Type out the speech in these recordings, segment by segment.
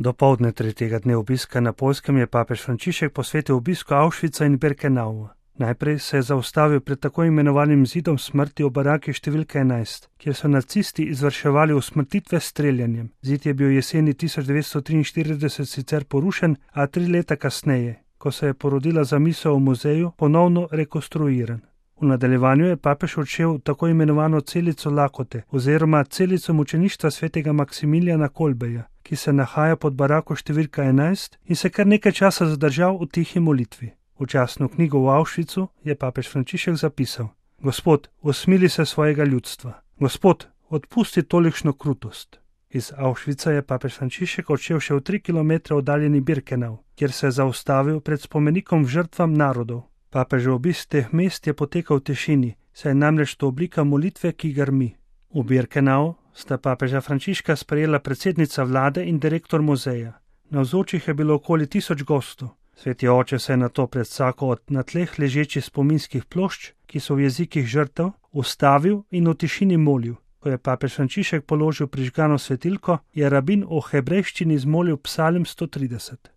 Dopoldne tretjega dne obiska na Poljskem je papež Frančišek posvetil obisku Auschwitza in Birkenaua. Najprej se je zaustavil pred tako imenovanim zidom smrti v baraki številka 11, kjer so nacisti izvrševali usmrtitve s streljanjem. Zid je bil jeseni 1943 sicer porušen, a 3 leta kasneje, ko se je porodila zamisel o muzeju, ponovno rekonstruiran. V nadaljevanju je papež odšel v tako imenovano celico lakote oziroma celico mučeništva svetega Maksimilijana Kolbeja, ki se nahaja pod barako številka 11 in se kar nekaj časa zadržal v tihi molitvi. V časno knjigo v Auschwitzu je papež Frančišek zapisal: Gospod, usmili se svojega ljudstva. Gospod, odpusti tolikšno krutost. Iz Auschwitza je papež Frančišek odšel še v 3 kilometre oddaljeni Birkenau, kjer se je zaustavil pred spomenikom žrtvam narodov. Papežev obisk teh mest je potekal v tišini, saj je namreč to oblika molitve, ki grmi. V Birkenau sta papeža Frančiška sprejela predsednica vlade in direktor muzeja. Navzočih je bilo okoli 1000 gostov. Sveti oče se je nato pred vsako od na tleh ležečih spominskih plošč, ki so v jezikih žrtev, ustavil in v tišini molil. Ko je papež Frančišek položil prižgano svetilko, je rabin v hebrejščini zmolil psalm 130.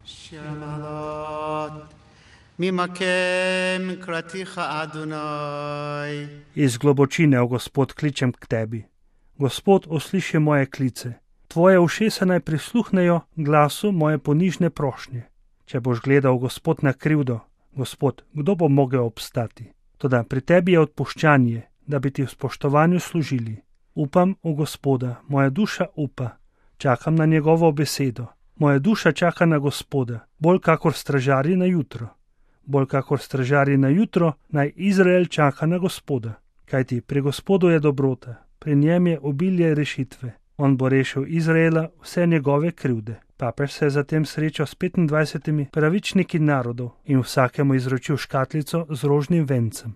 Iz globočine, o Gospod, kličem k tebi. Gospod, usliši moje klice. Tvoje ušesa naj prisluhnejo glasu moje ponižne prošnje. Če boš gledal, Gospod, na krivdo, Gospod, kdo bo mogel obstati? Toda pri tebi je odpuščanje, da bi ti v spoštovanju služili. Upam v Gospoda, moja duša upa, čakam na njegovo besedo. Moja duša čaka na Gospoda, bolj kakor stražarji na jutro. Bolj kakor stražarji na jutro, naj Izrael čaka na Gospoda. Kajti pri Gospodu je dobrota, pri njem je obilje rešitve. On bo rešil Izraela vse njegove krivde. Papež se je zatem srečal s 25 pravičniki narodov in vsakemu izročil škatlico z rožnim vencem.